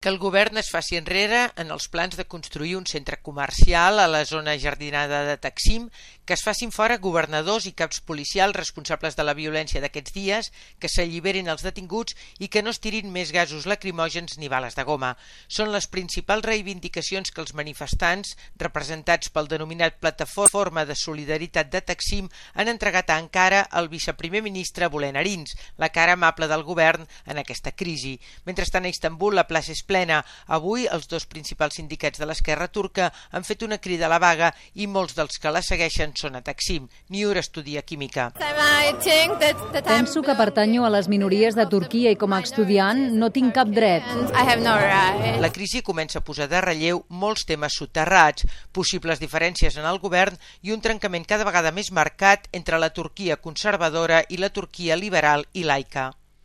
Que el govern es faci enrere en els plans de construir un centre comercial a la zona jardinada de Taksim, que es facin fora governadors i caps policials responsables de la violència d'aquests dies, que s'alliberin els detinguts i que no es tirin més gasos lacrimògens ni bales de goma. Són les principals reivindicacions que els manifestants, representats pel denominat Plataforma de Solidaritat de Taksim, han entregat a Ankara al viceprimer ministre Bülent Arins, la cara amable del govern en aquesta crisi. Mentrestant, a Istanbul, la plaça és plena. Avui, els dos principals sindicats de l'esquerra turca han fet una crida a la vaga i molts dels que la segueixen són a Taksim. Niur estudia química. Penso que pertanyo a les minories de Turquia i com a estudiant no tinc cap dret. La crisi comença a posar de relleu molts temes soterrats, possibles diferències en el govern i un trencament cada vegada més marcat entre la Turquia conservadora i la Turquia liberal i laica.